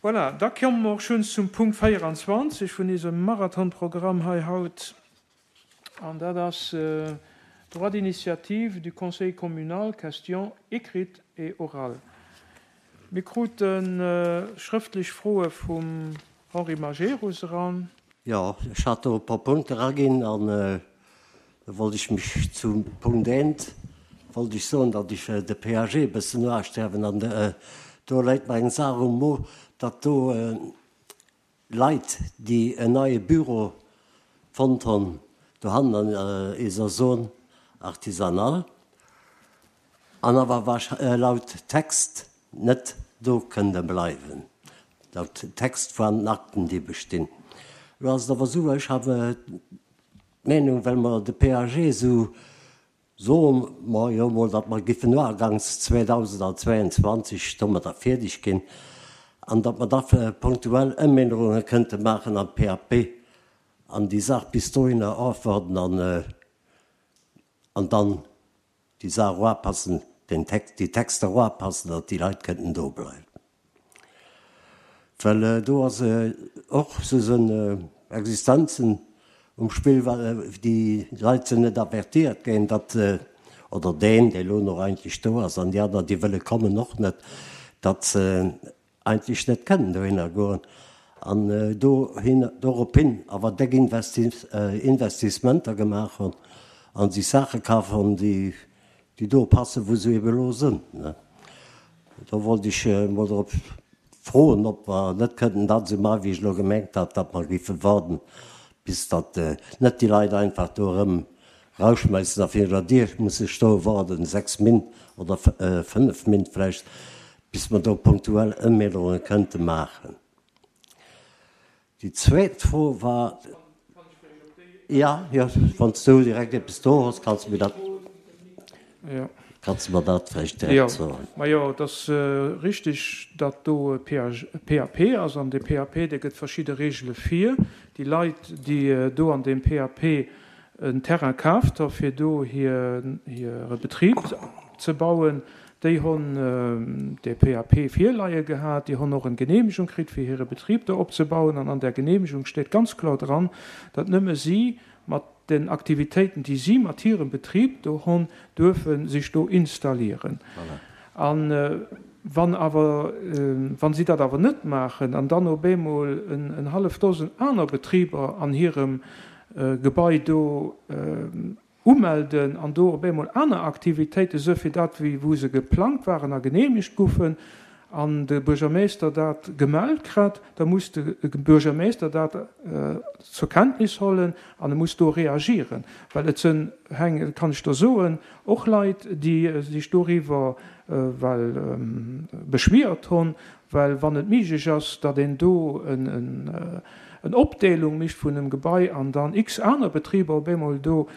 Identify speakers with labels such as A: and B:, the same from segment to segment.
A: Voilà, da komme mer och schonns zum Punkt 24 vun isem Marathonprogramm hei haut, an dat ass Droit d'initiative du Conseil communal, questions écrites et orales. Mir krute schrëftlech Froe vum Henri Majerus eran.
B: Jo, ech hat do e puer Punkte eraginn an da wollt ech mech zum Punkt eent wollt ech soen, datt ech de PAG e bëssen noasterwen an do läit mer eng Saach um Mo, datt do Leit, déi en neie Büro fonnt hunn dohannen an eiser Zone artisanale an awer laut Text net do kënne bleiwen, laut Text vun den Akten, déi bestinn. Elo ass et awer esou, ech habe d'Meenung, well mer de PAG esou Soe mer jo emol, datt mer giffen no aganks 2022 domadder fierdeg ginn an datt mer da punktuell Ëmännerunge kënnte maachen am PAP an déi Saach bis dohinner ofwarden an an dann déi Saach eroapassen, den Text, déi Texter eroapassen, datt déi Leit kënnten do bleiwen. Well do ass och sou Existenzen um Spill, well déi Leit sinn net avertiert ginn, datt, oder deen, dee lo nach eigentlech do ass, an déi aner, déi wëlle kommen, och net, datt se eigentlech net kënnen dohinner goen an dohin, dorophin awer déck Investissementer gemaach hunn a sech Saache kaf hunn, déi déi do passen, wou se ebe elo sinn. Do wollt ech emol drop froen, ob mer net kënnten dat esou maachen, wéi ech elo gemengt hat, datt mer géife waarden, bis datt net déi Leit einfach do erëm rausschmeissen a virun der Dier musse stoe waarden, 6 Min. Oder 5 Min. Vläicht, bis mer do punktuell Ëmännerunge kënnte maachen. Déi zweet Fro war, jo, jo, wann s du direkt eppes do hues, kanns de mir dat, kanns de mer dat vläicht direkt soen.
A: Majo, et ass richtig, datt do e PAP ass. An dee PAP, dee gëtt verschidde Regele vir. Déi Leit, déi do an deem PAP en Terrain kaaft ha fir do hire Betrib ze bauen, déi honn de PAP virleie gehat, déi honn och en Genehmegung kritt fir hire Betrib do opzebauen an an där Genehmegung steet ganz kloer dran, datt nëmme si mat den Aktivitéiten, déi si mat hirem Betrib do honn, duerfe sech do installieren. A wann awer, wa si dat awer net maachen an dann op eemol en hallef Dosen aner Betriber an hirem Gebai do umelden an do op eemol aner Aktivitéiten, esou fir dat wéi wou se geplangt waren a genehmegt goufen, an de Buergermeester dat gemellt kritt, da muss de Buergermeester dat zur Kenntnis hollen an e muss do reagieren, well et sënn, kann ech der soen, och Leit, déi sech doriwwer well beschwiert hunn, Well wann et méiglech ass, datt een do en Opdeelung mécht vun engem Gebai an dann x aner Betriber op eemol do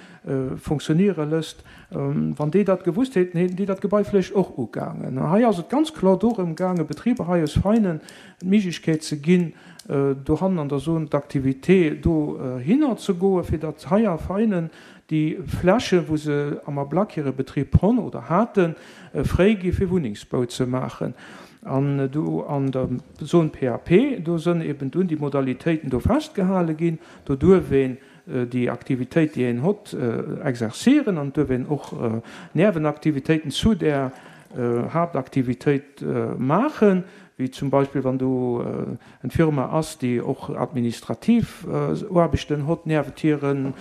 A: fonctionniere lësst, wann déi dat gewusst hätten, hätten déi dat Gebai vläicht och ugaangen. An hei ass et ganz kloer dorëm gaangen, Betriber hei aus Veinen d'Méiglechkeet ze ginn, dohannen an der Zone d'activité dohinner ze goen, fir datt hei a Veinen déi Flächen, wou se am Ablack hire Betrib honn oder haten, fréi gi fir Wunnengsbau ze maachen. An do an der Zone PAP, do sënn eben dunn déi Modalitéiten do festgehale ginn. Do duerf een déi Aktivitéit, déi een hott, exercieren an et duerf een och Nervenaktivitéiten zu där Haaptaktivitéit maachen, wéi zum Beispill wann do en Firma ass, déi och administrativ Aarbechten hott, niewent hiren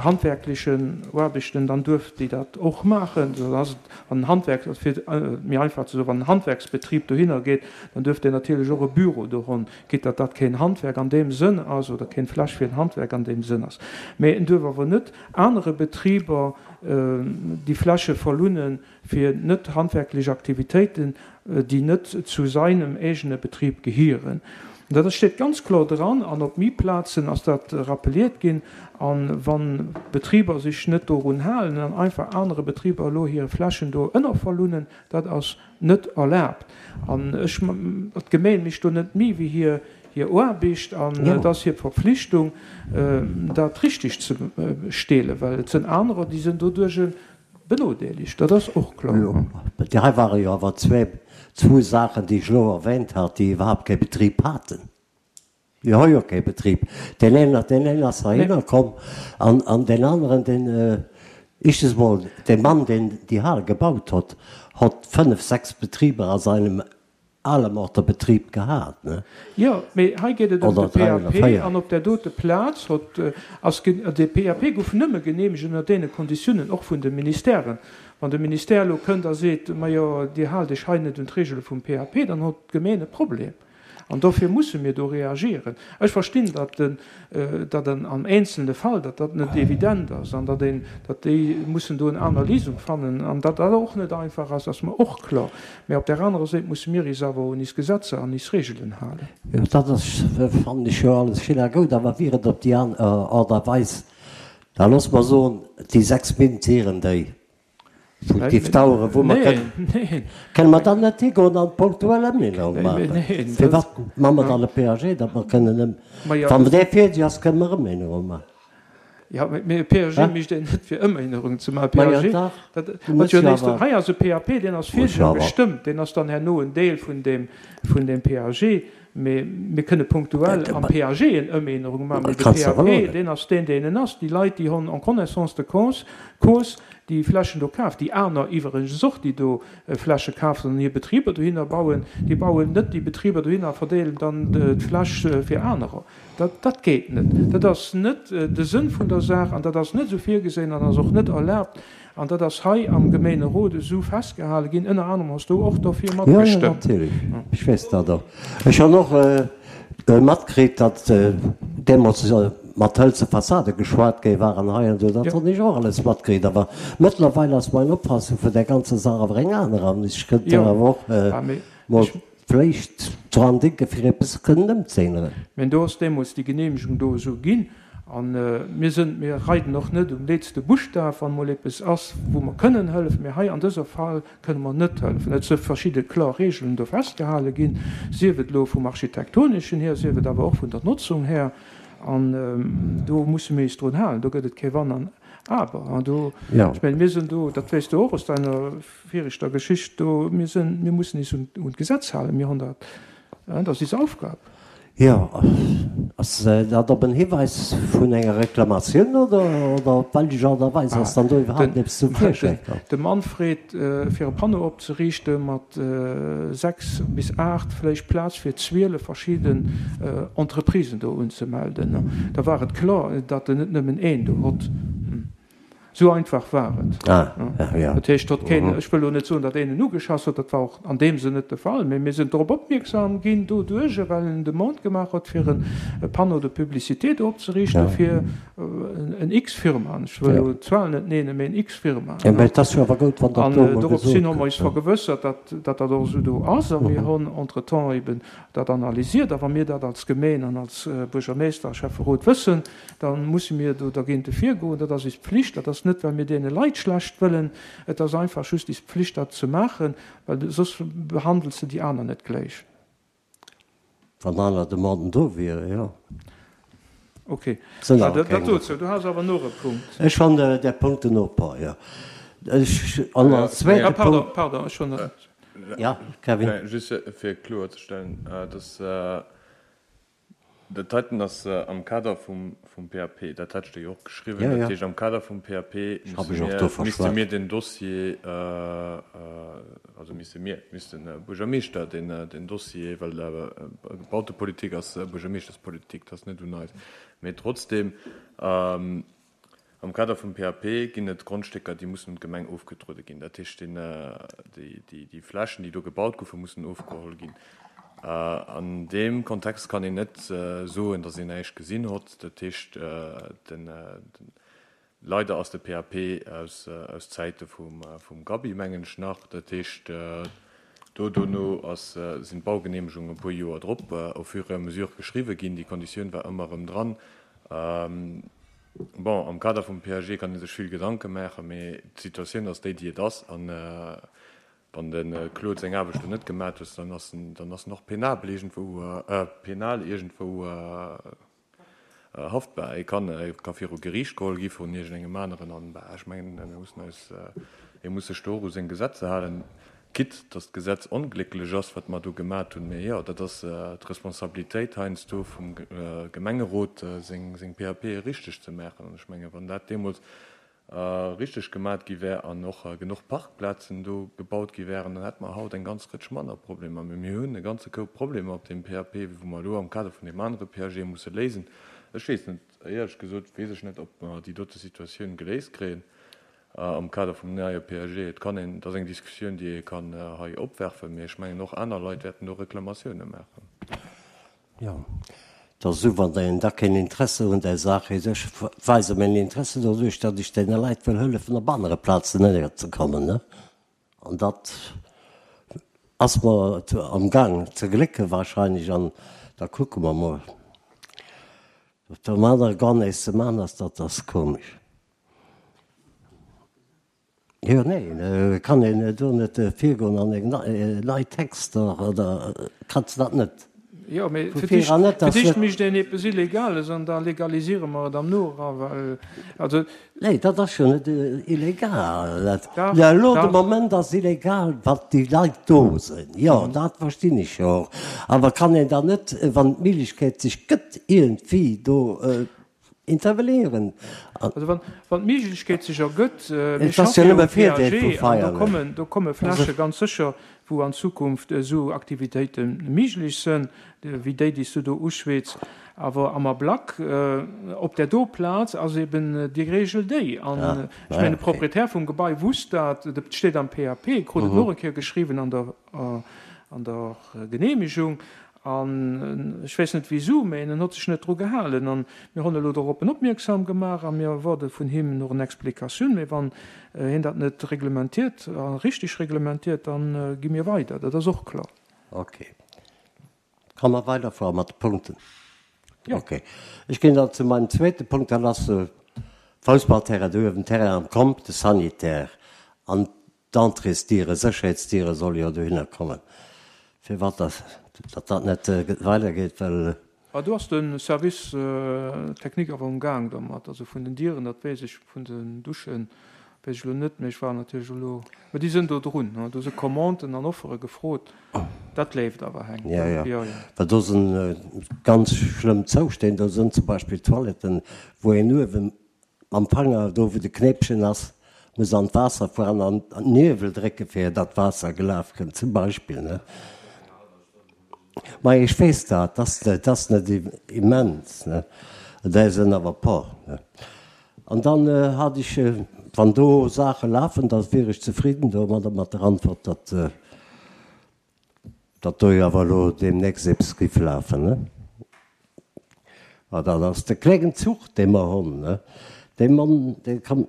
A: handwerklechen Aarbechten, dann duerf déi dat och maachen. Dann ass et, wann en Handwerk, fir et méi einfach ze soen, wann en Handwerksbetrib dohinner geet, dann duerf deen natierlech och e Büro do honn, quitte datt dat keen Handwerk an deem Sënn ass oder keen Fläch fir en Handwerk an deem Sënn ass. Mä en duerf awer net anere Betriber déi Fläche verlunnen, fir net handwerklech Aktivitéiten, déi net zu seinem eegene Betrib gehieren. Dat steet ganz kloer dran an op méi Plazen ass dat rappeliert ginn. A wa Betriber sech net dorun halen an einfach anere Betriber elo hir Flächen do ënnerverlunnen, dat ass net erlaabt. An ech, d'Gemeen mécht do net méi wéi hir hir Aarbecht an et ass hir Verpflichtung, dat richteg ze steelen, well et sënn anerer, déi sënn doduerch. Benodeelegt, dat ass och kloer.
B: Jo, déi hei ware jo awer zwee, zwou Saachen, déi ech elo erwähnt hat, déi iwwerhaapt kee Betrib haten. Déi hu jo kee Betrib. Deen een, deen een ass heihinner komm an, an deen aneren, deen, éischtens emol, dee Mann, deen déi Hal gebaut hott, hott fënnef, sechs Betriber a seinem Alemorter Betrib gehat, ne?
A: Jo, mee hei geet et ëm de PAP an op där dote Plaz hott, ass, de PAP gouf nëmme geneemegt ënner deene Konditiounen, och vun de Ministèren. Wann de Ministère elo kënnt a seet, Majo, Dir haalt Iech hei net un d'Reegele vum PAP, dann hott d'Gemeen e Problem. An dofir musse mir do reagieren. Ech verstinn, datt den, datt an am eenzelne Fall, datt dat net evident ass an datt een, datt déi mussen do en aner Léisung fannen an datt dat och net einfach ass, ass mer och kloer. Mä op där anerer Séit musse mir is awer un is Gesetzer an is Regelen halen.
B: Jo, dat ass, fannen ech jo alles schéin a goud, awer wier et op déi aner Aart a Weis, da loosse mer soen, déi 6 Mintieren, déi Wou et géif daueren, wou mer kënnen. Kënne mer dann net higoen an punktuell Ëmännerung maachen? Firwat maache mer dann e PAG, datt mer kënnen ëm, wann dee fäerdeg ass, kënne mer Ëmännerung maachen?
A: Jo, mee e PAG mécht een net fir Ëmännerungen ze maachen. E PAG, dat ass jo nächst. Hei ass e PAP, deen ass virdru gestëmmt, deen ass dann herno en Deel vun deem, vun deem PAG. Mee mir kënne punktuell am PAG en Ëmännerung maachen, mee de PAP, deen ass deen, deen en ass. Déi Leit, déi hunn en connaissance de cause, cause déi Flächen do kaf, déi aner iwwregens och, déi do Fläche kafen an hir Betriber dohinner bauen, déi bauen net déi Betriber dohinner a verdeelen dann d'Fläch fir anerer. Dat, dat geet net. Dat ass net de Sënn vun der Saach an dat ass net esou virgesinn an ass och net erlaabt. An dat ass hei am Gemeenerot esou festgehale ginn. Ënner anerem hues du och dofir
B: Jo, jo, matgestëmmt. natierlech. Ech weess dat och. Ech hunn och matkritt, datt deemools mat hëlze Fassade geschwat gi war an hei an do. Dat hunn ech och alles matkritt. Awer mëttlerweil ass meng Opfassung vun där ganzer Saach awer eng aner an ech kënnt do awer och mol vléicht dran denken, fir eppes kënnen ëmzéinneren.
A: Mä do ass deemools déi Genehmegung do esou ginn. A mir sënn, mir reiden och net um letzte Buschtaf, wann emol eppes ass, wou mer kënnen hëllefen. Mä hei an dëser Fall kënne mer net hëllefen. Et si verschidde kloer Regeln do festgehale ginn, sief et elo vum Architektoneschen hier, sief et awer och vun der Notzung her. An do musse mir eis drun halen. Do gëtt et kee Wann an Aber. An do, ech mengen, mir sinn do, dat weess de och aus deiner viregter Geschicht do, mir sinn, mir mussen eis un d'Gesetz halen. Mir hunn dat, dat ass eis Aufgab.
B: Jo, ass dat op en Hiweis vun enger Reklamatioun oder oder op wellech Aart a Weis ass dann do iwwerhaapt eppes zum Virschäi
A: komm? De Mann freet fir e Panneau opzeriichte mat 6 bis 8, vläicht Plaz fir 12 verschidden Entreprisen do unzemelden. Da war et kloer, datt en net nëmmen een do hott. Esou einfach war et. Dat heescht, datt keen, ech wëll elo net soen, datt een en ugeschass huet, dat war och an deem Sënn net de Fall, mee mir sinn drop opmierksam ginn doduerch, well en Demande gemaach huet, fir e Panneau de publicité do opzeriichten fir en X-Firma, ech wëll elo d'Zuel net nennen, mee en X-Firma. An doropshin hu mer eis vergewëssert, datt dat och esou do ass a mir hunn entretemps eben dat analysiert. A wa mir dat als Gemeen an als Buergermeeschter a Schäfferot wëssen, Da musse mir do dergéinte virgoen. Dat ass is Pflicht. Dat ass net, well mir deene Leit schlecht wëllen. Et ass einfach just is Pflicht, dat ze maachen, well soss behandels de déi aner net gléich.
B: Wann aner Demanden do wieren, jo.
A: Ok. Sënn awer keng. Dat dozou. Du has awer nach e Punkt.
B: Ech hunn där Punkten och e puer, jo. Ech, an als zweete Punkt.
A: Pardon, pardon, ech hunn.
B: Ja, Kevin.
C: Just fir kloerzestellen, dass Dat heiten ass am Kader vum PAP, dat hat ech der jo och geschriwwen. Dat heescht, am Kader vum PAP misste mir den Dossier, also misste mir, misst de Buergermeeschter den Dossier, well Bautepolitik ass Buergermeeschterspolitik, dat ass net un eis, mee trotzdem, Am Kader vum PAP ginn et Grondstécker, déi mussen un d'Gemeng ofgedruede ginn. Dat heescht, déi Flächen, déi do gebaut goufen, mussen ofgeholl ginn. An deem Kontext kann een net soen, datt een näischt gesinn hott. Dat heescht, leider ass de PAP aus Zäite vum Gaby, mengen ech nach. Dat heescht, do dono sinn d'Baugeneemegungen e puer Joer drop au fur et à mesure geschriwwe ginn. Déi Konditioun war ëmmer erëm dran. Bon, am Kader vum PAG kann ee sech vill Gedanke maachen, mee d'Situatioun ass déi, déi et ass. A wann de Claude seng Aarbecht do net gemat huet, dann ass en, dann ass en och penabel iergendwou, penal iergendwou. Haftbar. E kann, e ka viru Geriicht geholl gi vun iergendengem aneren an, bah, ech mengen, mir mussen eis, e muss sech do och u seng Gesetzer halen, quitte datt d'Gesetz onglécklech ass, wat mer do gemat hunn. Mee jo, dat ass d'Responsabilitéit heiansdo vum Gemengerot, seng, seng PAPe richteg ze maachen. An ech mengen, wann dat deemools richteg gemat gi wär an och genuch Parkplazen do gebaut gi wären, dann hätte mer haut eng ganz Rëtsch manner Problemer. Mee mir hunn e ganze Koup Problemer op deem PAP, wou mer elo am Kader vun deem anere PAG musse léisen. Ech weess net, éierlech gesot weess ech net, ob mer déi dote Situatioun geléist kréien am Kader vum neie PAG. Et kann een, et ass eng Diskussioun, déi ee kann hei opwerfen, mee ech mengen och aner Leit wäerten do Reklamatioune maachen.
B: Jo, et ass esou, wann een da keen Interesse un där Saach huet, ech weise mäin Interesse doduerch, datt ech deene Leit wëll hëllefen op anere Plazen ënnerzekommen, ne? An dat ass mer am Gaang ze glécke wahrscheinlech an da kucke mer mol. Wat am anere gar näischt ze man ass, dat ass komesch. Jo, nee, kann een do net virgoen an eng nei Texter oder kanns dat net?
A: Jo, mee fir d'éischt mécht een eppes Illegales an da legaliséiere mer et am Nora, well
B: also. Nee, dat ass jo net illegal. Dach, dach. Elo de Moment ass illegal, wat déi Leit do sinn. Jo, dat verstinn ech jo och. Awer kann een dann net, wann d'Méiglechkeet sech gëtt, iergendwéi do Intervenéieren.
A: Also wann, wann d'Méiglechkeet sech ergëtt, mir schaffe jo um PAG an do kommen, do komme Fläche ganz sécher, wou an Zukunft esou Aktivitéite méiglech sënn, wéi déi, déi s du do uschwätz. Awer am Ablack, op där do Plaz ass eben déi Regel déi. An ech mengen, de Proprietär vum Gebai wusst dat, et steet am PAP, krut et och eng Kéier geschriwwen an der, an der Genehmegung. An ech weess net wisou, mä en hott sech net dru gehalen. An mir honn elo doroppen opmierksam gemaach a mir erwaarde vun him noch en Explikatioun. Mä wann hien dat net reglementiert a richtig reglementiert, da gi mir weider. Dat ass och kloer.
B: Ok. Kann mer weiderfuere mat de Punkten? Jo. Ok. Ech ginn dann zu meinem zweete Punkt. Dat ass de Foussballterrain do uewen, Terrain am Comp, de Sanitaire. An D'Entréesdiere, Sécherheetsdiere solle jo dohinner kommen. Firwat datt dat net weidergeet, well.
A: Ah, do ass de Service technique awer um Gaang domat. Also vun den Dieren, dat weess ech, vun den Duschen weess ech elo net, mee ech war natierlech elo, mä déi sinn do drun, do si Commanden an Offere gefrot. Dat leeft awer, Heng.
B: Jo, jo, jo. Well do sinn ganz schlëmm Zoustänn. Do sinn zum Beispill Toiletten, wou een uewen Mam Fanger, do wou de Knéppchen ass, muss an d'Waasser fueren an d'Niewel drécke fir datt d'Waasser gelaf kënnt, zum Beispill, ne? Mei ech weess dat, dat ass net immens, ne? Där sinn awer e por, ne? An dann hat ech, wann do Saache lafen, da wier ech zefridden domadder, mat der Antwort, datt. Datt do jo awer elo deemnächst eppes giff lafen, ne? Ma dat ass de kléngen Zuch, dee mer honn, ne? Dee Mann, dee kann,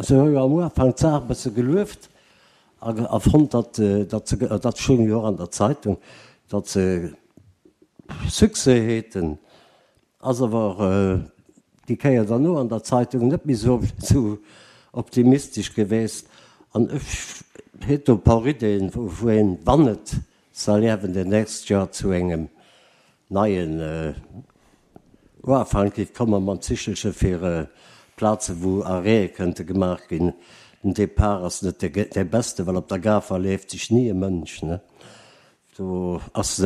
B: se hu jo am Ufank d'Saach e bësse gelueft a, a fonnt, datt, datt se, dat stoung jo och an der Zeitung, datt se Succès häten. Ass awer déi Kéier derno an der Zeitung net méi sou optimistesch geweest. An ech hätt do e paar Ideen, wou een, wann et soll ierwen demnächst jo zu engem neien Uafank géif kommen mam Zichelche fir Plaze wou Arrêtë kënnte gemaach ginn. Den Depart ass net dee beste, well op der Gare verleeft sech ni e Mënsch, ne? Do ass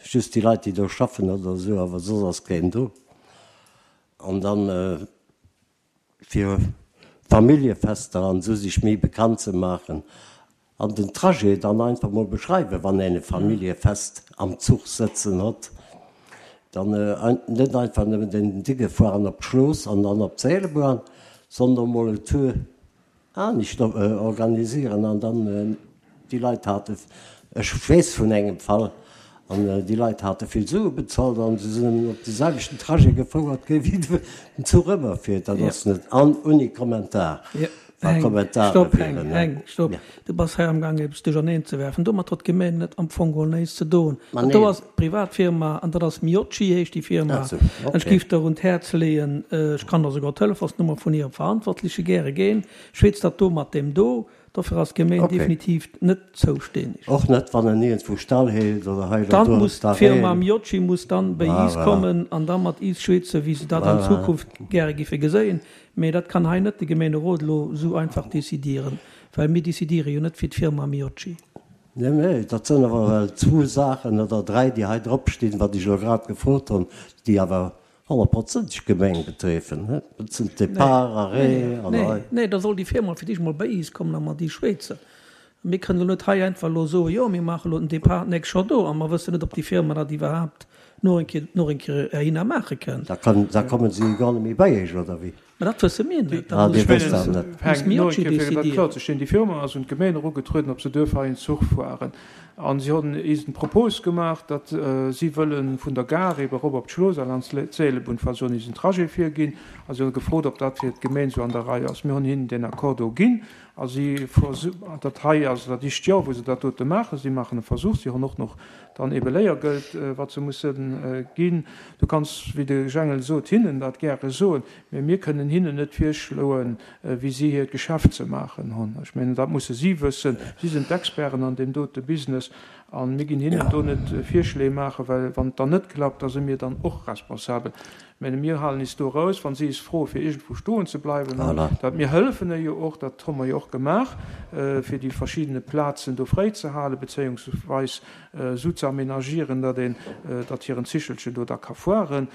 B: just déi Leit, déi do schaffen oder esou, awer soss ass keen do. An dann fir Familljefester an esou sech méi bekannt ze maachen an den Trajet dann einfach mol beschreiwen, wann een e Familljefest am Zuch sëtzen hott, dann net einfach nëmmen den Dicke fueren op d'Schlooss an dann op d'Seelbahn, sondern mol en Tour anescht organisieren an dann déi Leit hate, ech weess vun engem Fall, an déi Leit hate vill Sue bezolt an se sinn op de selwechten Trajet gefouert gi wéi den Zuch ëmmer fiert. Dat ass net an ouni Kommentar,
D: wa Kommentare Stopp, Heng, wieren. Heng, stopp. Du bass hei amgaang eppes duercherneen ze werfen. Domat huet d'Gemeng net am Fong geholl näischt ze doen. Dat do ass d'Privatfirma an dat ass Miocci heescht déi Firma. An ech géif der un d'Häerz leeën, ech kann der souguer d'Telefonsnummer vun hirem Verantwortleche gäre ginn, schwätz dat do mat deem do. Dofir ass d'Gemeen definitiv net zoustänneg.
B: Och net wann en iergendwou stall heelt oder hei oder
D: do. Dann muss d'Firma Miocci muss dann béi iis kommen an da mat iis schweetzen, wéi se dat an Zukunft gäre giffe geséien. Mee dat kann hei net de Gemeenerot elo esou einfach décidieren, well mir décidiere jo net fir d'Firma Miocci.
B: Nee, nee, dat sënn awer well zwou Saachen oder dräi, déi hei drop stinn, wat ech elo grad gefrot hunn, déi awer honnertprozenteg d'Gemeng betreffen. Dat sinn d'Départ, Arrêt an
D: hei. Nee, nee, da soll déi Firma fir d'éischt mol bei iis kommen a mat iis schwätzen. Mir kënnen elo net hei einfach elo soen, jo, mir maache elo den Départ d'nächst Joer do, a mer wëssen net, ob déi Firma dat iwwerhaapt no eng Kéier, nach eng Kéier heihinner maache kënnt.
B: Da kann, da kommen se jo gar net méi bei iech, oder wéi?
D: Mä dat wësse mir net.
A: Dat muss, muss Miocci décidieren. Déi Firma ass un d'Gemeen erugetrueden, ob se duerf hei en Zuch fueren. A si hunn eis en Propos gemaach, datt si wëlle vun der Gare ebe erop op d'Schloosal an d'Seelebunn fueren. Si hunn eis en Trajet virginn a si hunn gefrot, ob dat fir d'Gemeen esou an der Rei ass. Mir hunn hinnen deen Accord do ginn a si, dat hei ass dat éischt Joer, wou se dat dote maachen. Si maachen e Versuch. Si hunn och nach dann ebe Léiergeld, wat se musse ginn. Du kanns, wéi de Jengel sot, hinnen dat gäre soen, mä mir kënnen hinnen net virschloen, wéi si hiert Geschäft ze maachen hunn. Ech mengen, dat musse si wëssen. Si sinn d'Experten an deem dote Business a mir ginn hinnen do net Virschléi maachen, well wann et dann net klappt, da si mir dann och responsabel. Ech menge mir halen is do eraus, wa si is froe fir iergendwou stoen ze bleiwen, an dat mir hëllefen e jo och, dat hu mer jo och gemaach, fir déi verschiddene Plazen do fréi ze halen, bezéiungsweis esou ze aménagieren, datt een, datt hiren Zichelchen do da ka fueren.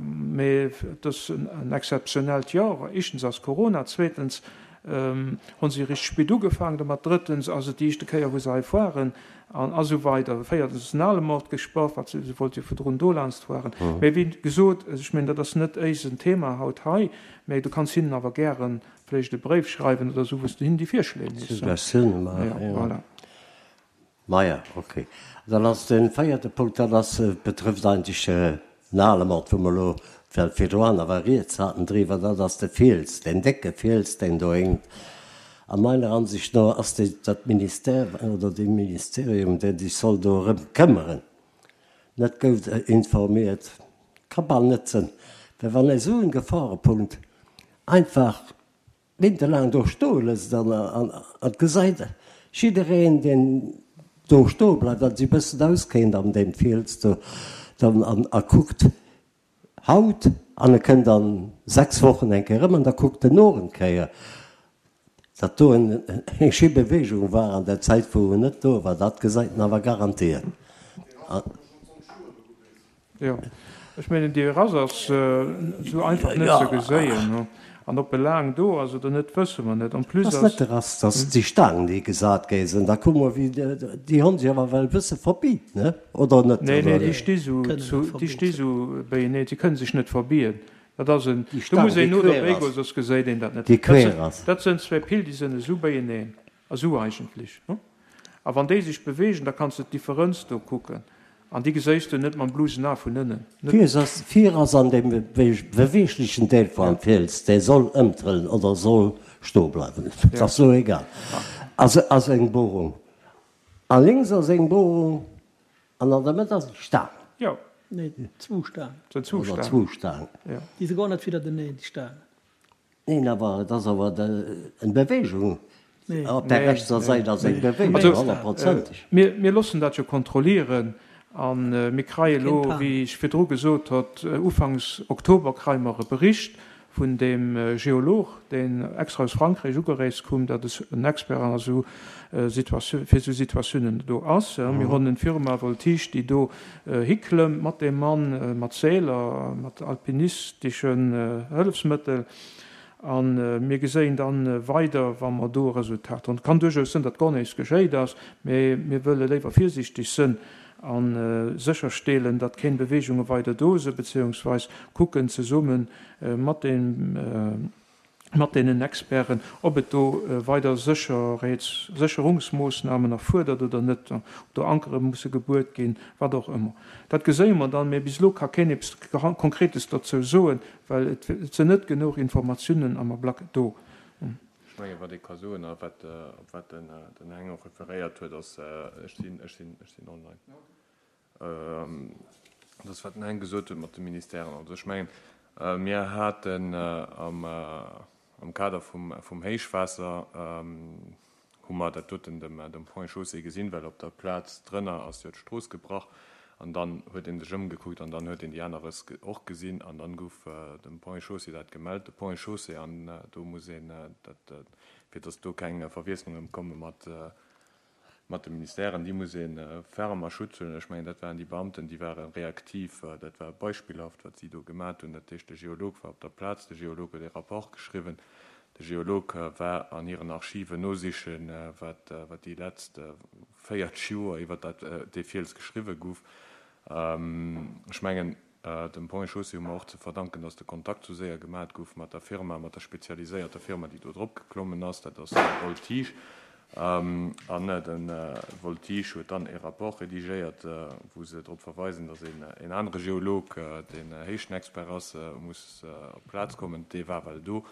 A: Mee et ass en exzeptionellt Joer. Éischtens ass Corona, zweetens hu si richteg spéit ugefaangen domat, drëttens ass et déi éischte Kéier wou se hei foiren an a sou weider. Véiertens ass den Alemort gespaart, wat se, se wollt jo virdrun do laanscht fueren. Mee wéi gesot, ech mengen dat ass net éisen Thema haut hei, mee du kanns hinnen awer gäre vläicht e Bréif schreiwen oder sou, wou s du hinnen déi Virschléi méchs.
B: Suggestioune maachen, jo. Voilà. Maja, ok. Dann ass de véierte Punkt, dat ass, betrëfft eigentlech den Alemort, wou mer elo well virdru awer rieds haten driwwer, dat ass de Fiels, deen décke Fiels, deen do héngt. A meiner Ansicht no ass déi, dat Ministère oder dee Ministerium, dee sech soll do erëm këmmeren, net goud informiert. Ka bal net sënn, well wann esou en Geforepunkt einfach Méintelaang do stoe lësst an et gesäit jiddereen, deen do stoe bleift a sech e bëssen auskénnt an deem Fiels do dann an a kuckt haut an e kënnt an 6 Wochen eng Kéier erëm an da kuckt en och eng Kéier, datt do eng schéi Beweegung war an der Zäit wou en net do war, dat gesäit en awer garantiert.
A: Jo, ech mengen déi Rass ass esou einfach net ze geséien. An ob e laang do ass oder net, wësse mer net. En plus
B: ass. Ass net de Rass, dass déi Staang déi gesat gi sinn, da kucke mer wéi déi Honn sech awer well bësse verbiit, ne? Oder net?
A: Nee, nee, déi sti sou, déi sti sou beieneen, se kënne sech net verbiien. Dat ass en, do muss een no derbäi goen, soss geséit een dat net.
B: Déi quer ass.
A: Dat sënn zwee Pill, déi sënn esou beieneen, esou eigentlech. A wann déi sech beweegen, da kanns de d'Differenz do kucken. An déi geséis de net mam blusen A vun ënnen.
B: Net. Vir ass an deem beweeglechen Deel vum Fiels, dee soll ëmtrëllen oder soll stoe bleiwen, et ass elo egal, ass eng Bohrung. A lénks ass eng Bohrung an an der Mëtt ass eng Staang.
A: Jo.
D: Nee, zwou Staangen.
B: Oder zwou Staangen.
D: Déi si guer net widderteneen, déi Staangen.
B: Neen, awer et ass awer eng Bewegung op der rechtser Säit ass eng Bewegung, honnertprozenteg.
A: Mir loossen dat jo kontrollieren a mir kreie elo, wéi ech virdru gesot hott, ufanks Oktober kreie mer e Bericht vun deem Geolog, deen extra aus Frankräich ugereest koum, dat en Expert an esou fir esou Situatiounen do ass. Mir hunn en Firma Voltige, déi do hiklëmmt mat deem Mann, mat Seeler, mat alpinisteschen Hëllefsmëttel. A mir geséien da weider, wa mer do e Resultat hunn. Et kann duerchaus sënn, datt guer näischt geschéit ass, mee mir wëlle léiwer virsiichteg sënn a sécherstelen, datt keng Beweegunge weider do sënn, beziéungsweis kucken zesumme mat deem, mat deenen Experten, ob et do weider Sécherheets-, Sécherungsmoossnamen erfuerdert oder net, ob do Ankere musse gebuert ginn, wat och ëmmer. Dat geséie mer dann, mä bis elo ka keen eppes Konkretes dozou soen, well et sinn net genuch Informatiounen am Ablack do.
C: Ech mengen, wat ee ka soen a wat, op wat den Heng och referéiert huet, ass, ech sinn, ech sinn, ech sinn online. Dat ass, wat den Heng gesot huet mat de Ministèren. Also ech mengen, mir haten am Kader vum Héichwaasser. Hu mer dat doten dem dem Pont et Chaussée gesinn, well op der Plaz drënner ass jo d'Strooss gebrach an dann huet ee sech ëmgekuckt an dann huet een déi aner Rëss och gesinn an dann gouf dem Pont et Chaussée dat gemellt. De Pont et Chaussée, an do muss een dat, fir datt do keng Verwiesslunge komme mat mat de Ministèren, déi muss ee ferm a Schutz huelen. Ech mengen, dat waren déi Beamten, déi ware reaktiv, dat war beispillhaft, wat si do gemat hunn. Dat heescht, de Geolog war op der Plaz, de Geolog huet ee Rapport geschriwwen, de Geolog war an hiren Archiven nosichen, wat déi letzt 40 Joer iwwer dat dee Fiels geschriwwe gouf. Ech mengen, Dem Ponts et Chaussées hu mer och ze verdanken, dass de Kontakt sou séier gemat gouf mat der Firma, mat der spezialiséierter Firma, déi do drop geklommen ass. Dat ass Voltige. An de Voltige huet dann ee Rapport redigéiert, wou se drop verweisen, dass een een anere Geolog, deen Héichtenexpert ass, muss op d'Plaz kommen. Dee war well do.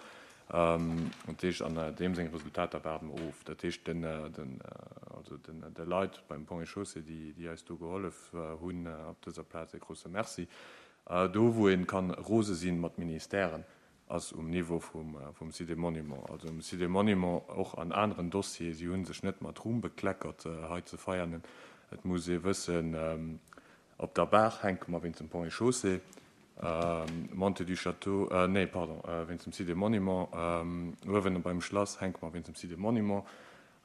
C: Dat heescht, an deem seng Resultater waarde mer of. Dat heescht, den, den, also den, de Leit beim Ponts et Chaussées, déi, déi eis do gehollef hunn, op dëser Plaz e grouse Merci. Do, wou ee kann rose sinn mat Ministèren, ass um Niveau vum, vum Site des Monuments. Also um Site des Monuments, och an aneren Dossieren. Si hu sech net mat Ruhm bekleckert hei ze Veianen. Et muss ee wëssen, Op der Baach hänke mer wéinst dem Ponts et Chaussées, Montée du Château, nee, pardon, wéinst dem Site des Monuments, uewen beim Schlass hänke mer wéinst dem Site des Monuments,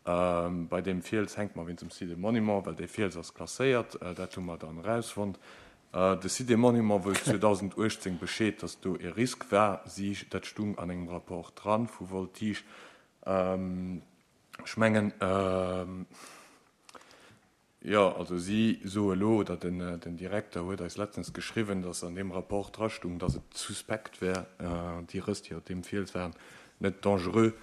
C: bei deem Fiels hänke mer wéinst dem Site des Monuments, well dee Fiels ass klasséiert, dat hu mer dann erausfonnt. De Site des Monuments wousst 2018 Bescheed, datt do e Risk war, si, dat stung an engem Rapport dran vu Voltige. Ech mengen, Jo, also si soe lo, oder den Direkter huet eis letztens geschriwwen, datt an deem Rapport drastung, datt et suspekt wär, déi Rëss, déi op deem Fiels waren, net dangereux,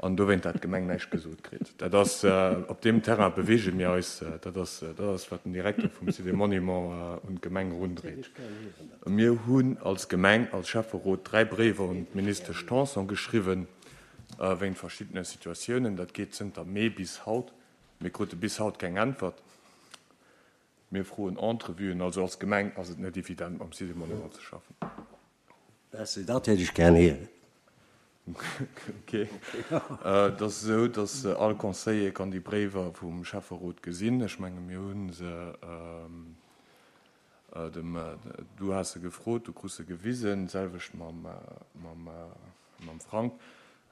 C: an dowéint hat d'Gemeng näischt gesot kritt. Dat ass, op deem Terrain beweege mir eis, dat ass, dat ass wat den Direkter vum Site des Monuments un d'Gemeng erundréit. Mir hunn als Gemeng, als Schäfferot 3 Bréiwer un d'Ministesch Tanson geschriwwen, wéint verschiddene Situatiounen. Dat geet zënter Mee bis haut. Mir krute bis haut keng Äntwert. Mir froen Entrevuen. Also als Gemeng ass et net evident mam Site des Monuments ze schaffen.
B: Merci, dat hätt ech gär héieren.
C: Ok. Et ass esou, datt all Conseiller kann déi Bréiwer vum Schäfferot gesinn. Ech menge mir hu se dem, du has se gefrot, du krus se gewisen, d'selwecht mam Mam Frank.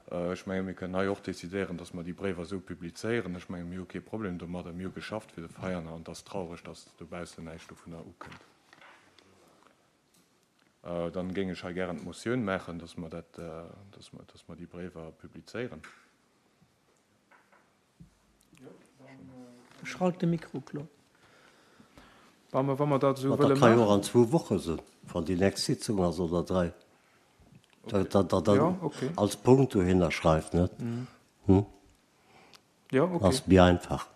C: Ech menge mir kënnen hei och decidéieren, datt mer déi Bréiwer esou publizéieren. Ech menge mir hu kee Problem domadder. Mir hu geschafft fir de Veianer an et ass traureg, datt dobaussen näischt dovunner ukënnt. Dann géing ech hei gären d'Motioun maachen, datt mer dat, datt mer déi Bréiwer publizéieren.
D: Schalt de Mikro, Claude.
A: Wa mer, wa mer dat esou
B: Ma dat
A: wëlle
B: ka jo och
A: maachen.
B: an zwou Woche sinn, wann déi nächst Sitzung ass, oder dräi.
A: Okay.
B: Dat Der dann
A: Ja, okay.
B: als Punkt dohinner schreift, net? Hm?
A: Ja, okay.
B: Ass méi einfach.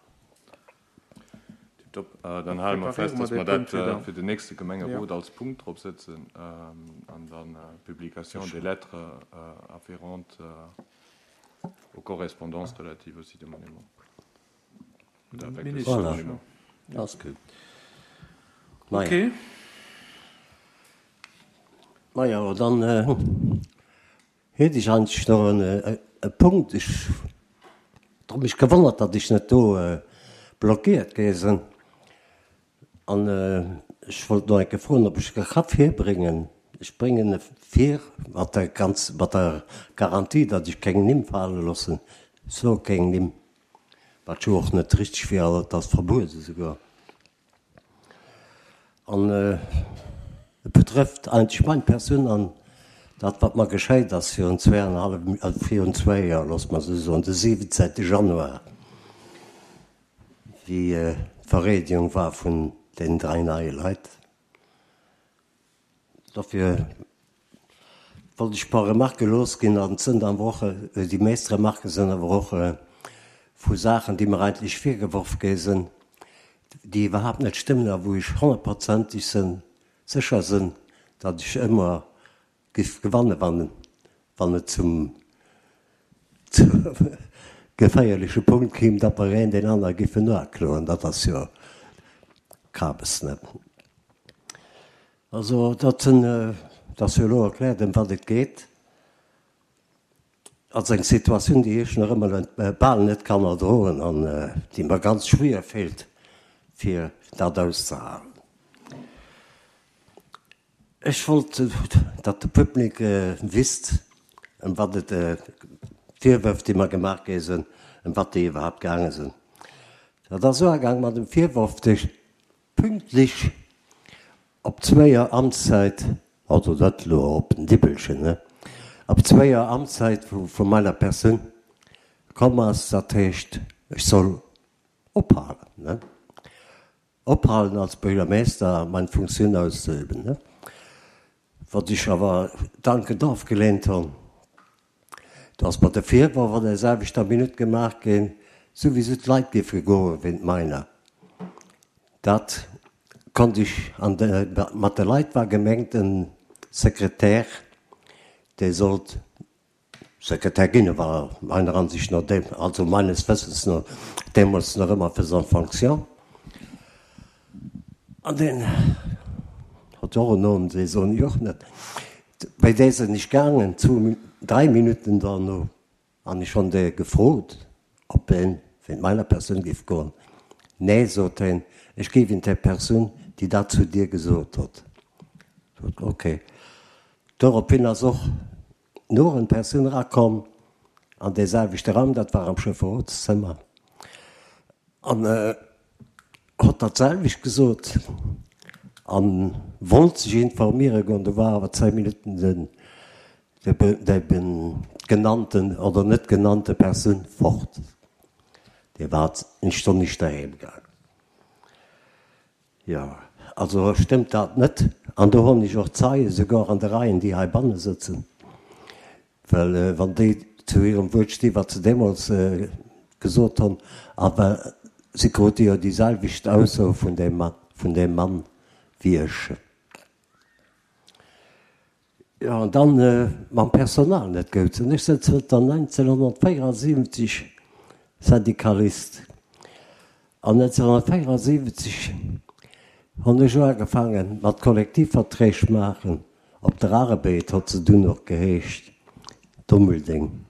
C: Tiptop. Dann hale mer
A: Preparéiere
C: fest,
A: mer
C: dass
A: dee
C: mer
A: Punkt
C: dat
A: fir da.
C: fir den nächste
A: Ja.
C: Gemengerot als Punkt drop sëtzen an dann d'Publication des lettres afférentes Aux correspondances relatives au site des monuments. Oder avec le site des monuments.
B: Voilà, ass gutt.
A: Ok.
B: Majo, dann hätt ech eigentlech nach e Punkt. Ech hu mech gewonnert, datt ech net do blockéiert gi sinn. An ech wollt nach eng Kéier froen, ob ech e ka virbréngen. Ech bréngen e vir mat der ganz, mat der Garantie, datt ech keng Nimm fale loossen. Ech soe keng Nimm, wat jo och net richteg wier, an et ass verbuede souguer. An et betrëfft eigentlech meng Persoun an dat, wat mer geschéit ass virun zweeanenhallef, virun zwéi Joer, loosse mer esou soen, de 17 Januar. Wéi d'Vereedegung war vun deenen 3 neie Leit. Dofir wollt ech e puer Remarque losginn an et sënn awer och, déi meescht Remarquë sënn awer och vu Saachen, déi mer eigentlech virgeworf gi sënn, déi iwwerhaapt net stëmmen a wou ech honnertprozenteg sënn, sécher sënn, datt ech ëmmer Giff gewannen wann wann et zum geféierleche Punkt kéim, datt mer een deen anere giffen uakloen. Dat ass jo Kabes, ne? Also dat sinn, dat ass jo elo erkläert ëm wat et geet. Ass eng Situatioun, déi ech nach ëmmer bal net kann erdroen an déi mer ganz schwéier fält, fir dat auszehalen. Ech wollt, datt de Public wisst, ëm wat et, d'Virwërf, déi mer gemaach gi sinn, ëm wat déi iwwerhaapt gaange sinn. Dat ass uagaang mat dem Virworf, dee pünktlech op zwéi Joer Amtszäit, also dat elo op den Dippelchen, ne, op zwéi Joer Amtszäit vu meiner Persoun komm ass, dat heescht, ech soll ophalen, ne, ophalen als Buergermeester mein Funktioun auszeüben, ne, wat ech awer dankend ofgeleent hunn. Do ass mer de Virworf an der selwechter Minutt gemaach ginn, souwisou d'Leit géife goe wéint meiner. Dat konnt ech an de, mat de Leit war gemengt en Sekretär, dee sollt Sekretär ginn, e war meiner Ansicht no, also meines Wëssens no, deemools nach ëmmer faisant fonction. An deen hott och en Nom, dee soen ech och net. Bei dee sinn ech gaangen, zwou, dräi Minutten derno, an ech honn dee gefrot, ob en wéint meiner Persoun géif goen. Nee, sot heen, ech géif in der Persoun, déi dat zu dir gesot hott. Sot, ok. Dorophin ass och no en Persoun erakomm an dee selwechte Raum, dat war am Schäfferotszëmmer, an hott dat selwecht gesot an wollt sech informiere goen. Do war awer 10 Minutten den déi genannten oder net genannte Persoun fort. Dee war eng Stonn nicht doheem gaangen. Jo, also stëmmt dat net. An do honn ech och Zeien, souguer an de Reien, déi heibanne sëtzen. Well wann déi zu hirem Wuert sti wat se deemools gesot hunn, a well si krute jo déi selwecht Ausso vun deem vun deem Mann wéi ech. Jo, an dann mam Personal net goud sinn. Ech sinn zënter 1974 Syndikalist. An 1974 hunn ech uagefaange mat Kollektivverträg maachen. Op der Arbed hott se dunn och geheescht, Dummeldeng.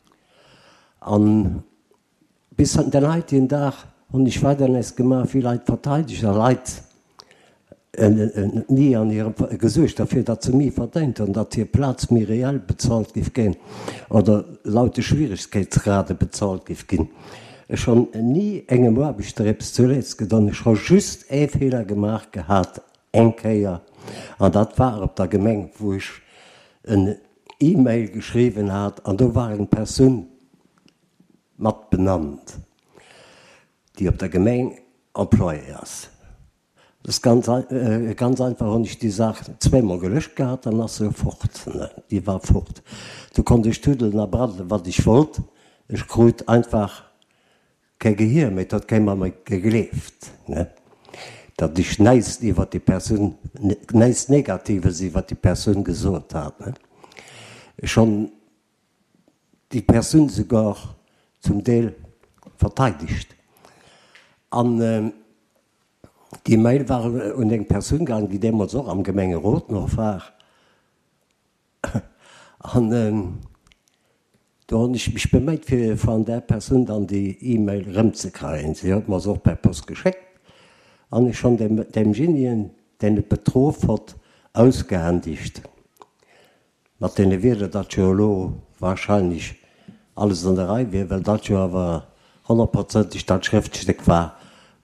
B: An bis den heitigen Dag hunn ech weider näischt gemaach wéi Leit verteidegt a Leit ni an hirem gesuergt derfir, datt se méi verdéint hunn, datt hir Plaz méi reell bezahlt giff ginn oder laut de Schwieregkeetsgrade bezahlt giff ginn. Ech hunn ni engem Aarbechter eppes zuleeds gedon. Ech hu just ee Feeler gemaach gehat, Eng Kéier, an dat war op der Gemeng, wou ech en E-Mail geschriwwen hat, an do war eng Persoun mat benannt, déi op der Gemeng Employée ass. Dat ass ganz, ganz einfach hunn ech déi Saach zweemol gelöscht gehat, dann ass se fort, déi war fort. Do konnt ech tuddelen a braddelen, wat ech wollt, ech krut einfach Kee Gehier méi, et huet kee mer méi gegleeft, ne, datt ech näischt iwwert déi Persoun, näischt Negatives iwwert déi Persoun gesot hat, ne. Ech honn déi Persoun souguer zum Deel verteidegt. An déi Mail war un eng Persoun gaangen, déi deemools och am Gemengerot nach war. An do hunn ech mech beméit, fir van där Persoun dann déi E-Mail erëmzekreien. Si huet mer se och per Post geschéckt. An ech hunn deem demjenigen, deen et betroff hott, ausgehändigt mat deene Wierder, datt jo elo wahrscheinlech alles an der Rei wier, well dat jo awer honnertprozenteg dat Schrëftstéck war,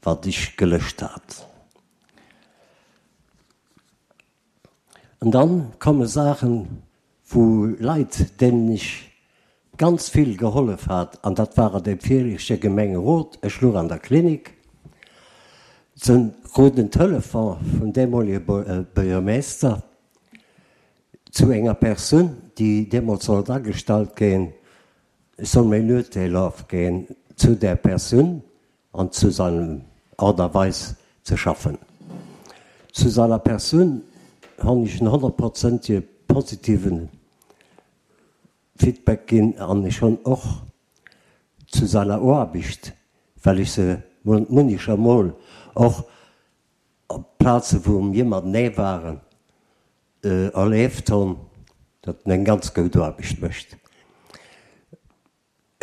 B: wat ech gelöscht hat. An dann komme Saachen, wou Leit, deenen ech ganz vill gehollef hat, an dat war an deem viregte Gemengerot, ech luch an der Klinik, se kruten en Telefon vum deemolige Buergermeester zu enger Persoun, déi deemools sollt agestallt ginn, ech soll mäin Urteel ofginn zu där Persoun, an zu seinem Art a Weis ze schaffen. Zu seiner Persoun honn ech en honnertprozentige positiven Feedback ginn an ech honn och zu seiner Oarbicht, well ech se munnecher Mol och op Plaze wou mir matenee waren erleeft honn, datt en eng ganz goud Oarbicht mécht.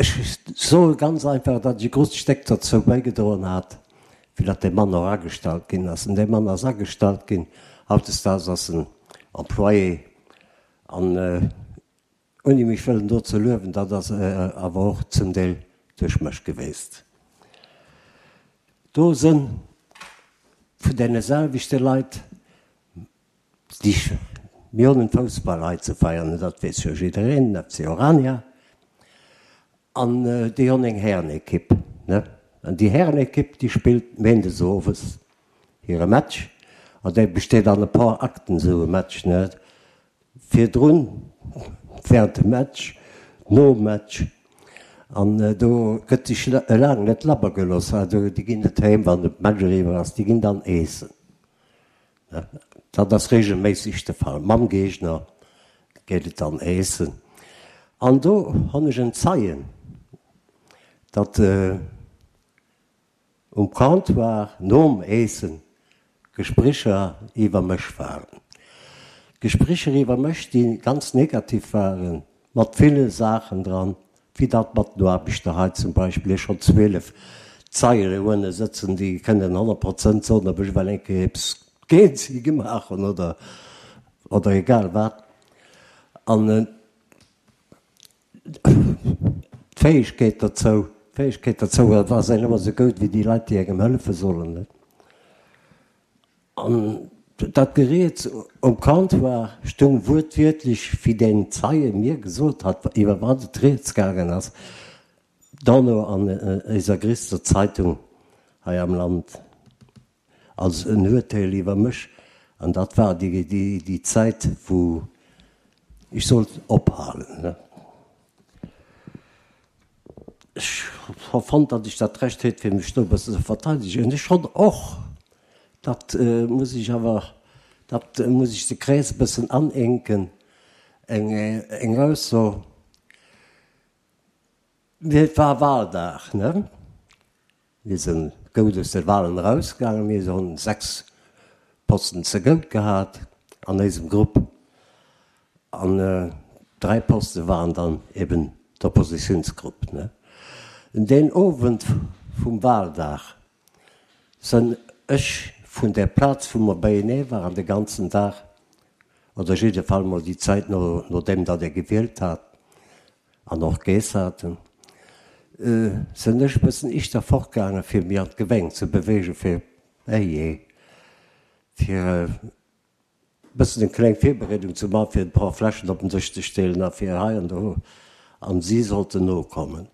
B: Ech soe ganz einfach, datt ech e grousst Stéck dozou bäigedroen hat, fir datt dee Mann och agestallt ginn ass. An dee Mann ass agestallt ginn. Hautdesdaags ass en Employé. An ouni mech wëllen do ze luewen, dat ass awer och zum Deel duerch mech geweest. Do sënn vun deene selwechte Leit, déi, mir hunn en Foussball hei ze feiern, dat weess jo jiddereen, den FC Orania, an déi hunn eng Härenekipp, ne? An déi Härenekipp, déi spillt méindes owes hire Match, an dee besteet an e paar Akten, esou e Match, ne? Virdrun, während dem Match, nom Match, an do gëtt sech laang net labber gelooss. Also déi ginn net heem, wann de Match eriwwer ass, déi ginn dann eessen. Dat ass regelméisseg de Fall. Mam Géigner geet et dann eessen. An do honn ech en Zeien, datt. Um Comptoir nom Eessen Gesprécher iwwer mech waren. Gesprécher iwwer mech, déi ganz negativ waren, mat ville Saachen dran, wéi dat mat den Aarbechter hei zum Beispill. Ech hunn 12 Zeien uewe sëtzen, déi kënnen 100 Prozent soen, ob ech well eng Kéier eppes géint si gemaach hunn oder, oder egal wat. An D'Fäegkeet dozou, d'Fäegkeet dozou ass een ëmmer esou goud wéi déi Leit, déi engem hëllefe sollen, net? An dat Geriets um Comptoir stung wuertwiertlech, wéi deen Zeie mir gesot hat, iwwer wat et rieds gaangen ass, dono an eiser gréisster Zeitung hei am Land. Als en Urteel iwwer mech, an dat war déi Zäit, wou ech sollt ophalen. Ech hu fonnt, datt ech dat Recht huet, fir mech do e bëssen ze verteidegen. Ech hunn och, dat muss ech awer, dat muss ech de Krees e bëssen anenken, eng Ausso, Et war Wahldag, ne? Mir sinn goud aus de Wahlen erausgaangen. Mir hunn 6 Posten ze goud gehat an éisem Grupp an 3 Poste waren dann eben d'Oppositiounsgrupp. Deen Owend vum Wahldag sënn ech vun där Plaz wou mer beienee waren de ganzen Dag, oder jidde Fall mol déi Zäit nodeem datt ee gewielt hat, An och Geess haten, sënn ech bëssen ischter fortgaangen fir mir an d'Geweng ze bewegen, fir, ejee, fir e bëssen eng kleng Virbereedung ze man, fir e paar Fläschen op den Dësch ze stellen a fir hei an do, an si sollten nokommen.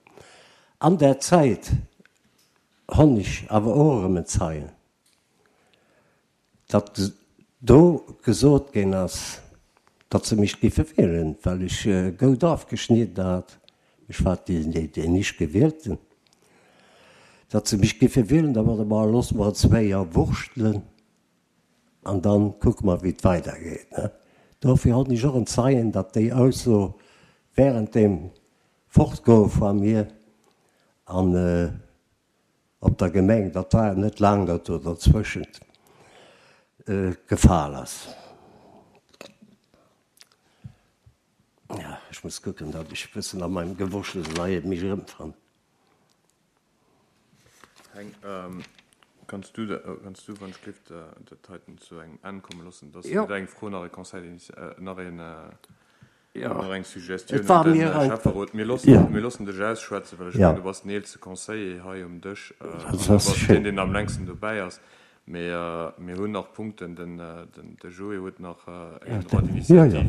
B: An där Zäit honn ech awer och erëm en Zeien. Datt do gesot ginn ass, datt se mech giffe wielen, well ech goud afgeschnidden hat, ech war deen éischt Gewielten, datt se mech giffe wielen, da warte mer, loosse mer et zwéi Joer wurschtelen an da kucke mer, wéi et weidergeet. Dofir hunn ech och en Zeien, datt déi Ausso während dem Fortgoe vu mir an op der Gemeng, dat war net laang dat do derzwëschent, gefal ass. Ja, ech muss kucken, datt ech e bëssen a meinem Gewurschtels hei mech erëmfannen.
C: Heng, kanns du, kanns du wann ech gelift dat heiten zu engem Enn komme loossen? Dat ass weder eng Fro nach e Conseil d'initi-, nach een. Nach eng Suggestioun un den Schäfferot. Mir loossen dech ausschwätzen, well ech mengen, du bass den eelste Conseiller hei um Dësch an du bass deen, deen am längsten dobäi ass. Mee mir hunn nach Punkten. De Joé huet nach en Droit d'initiative.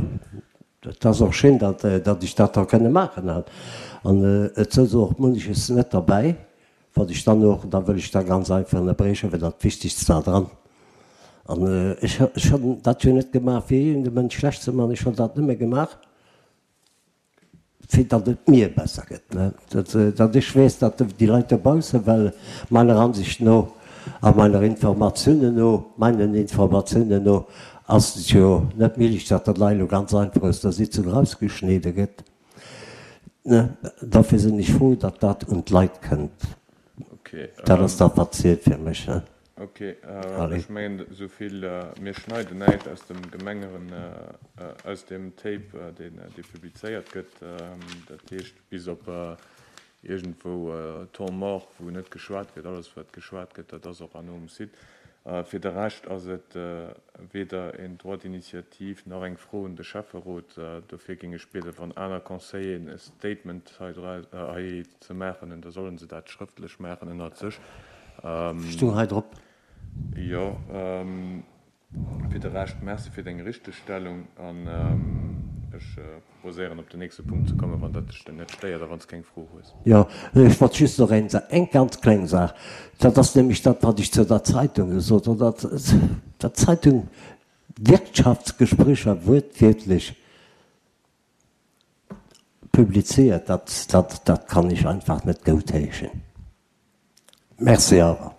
B: Et ass och schéin, datt ech dat da kënne maachen. An et souz och munches net derbäi, Wat ech dann och, da wëll ech da ganz einfach ënnerbriechen, well dat Wichtigst war dran. An ech, ech hunn dat jo net gemaach, fir iergendee Mënsch schlecht ze maachen, ech hunn dat nëmme gemaach, fir datt et mir besser gëtt, ne, datt, datt ech weess, datt déi Leit dobaussen, well meiner Ansicht no a meiner Informatiounen no, meinen Informatiounen no ass et jo net méiglech, datt dat Lei elo ganz einfach aus der Sitzung erausgeschnidde gëtt. Dofir sinn ech frou, datt dat un d'Leit kënnt. Dat ass dat, wat zielt fir mech.
C: Ok, ech mengen esou vill. Mir schneiden näischt aus dem Gemengeren, aus deem Tape, deen, dee publizéiert gëtt. Dat heescht, bis op. Iergendwou Temps mort, wou net geschwat gëtt. Alles wat geschwat gëtt, dat ass och herno um Site. Fir de Rescht ass et weder een Droit d'initiative nach eng Fro un de Schäfferot. Dofir géing ech bieden, wann aner Conseilleren e Statement hei ze maachen hunn, da solle se dat schrëftlech maachen ënnert sech.
B: Stung hei drop.
C: Jo. Fir de Rescht Merci fir deng Richtegstellung an ech proposéieren op den nächste Punkt ze kommen, wann dat dech net stéiert a wann s keng Fro hues.
B: Jo, ech wollt just nach eng Saach, eng ganz kleng Saach, dat ass nämlech dat, wat ech zu der Zeitung gesot hunn, datt der Zeitung Wirtschaftsgesprécher wuertwiertlech publiziert, dat, dat, dat kann ech einfach net goutheeschen. Merci awer.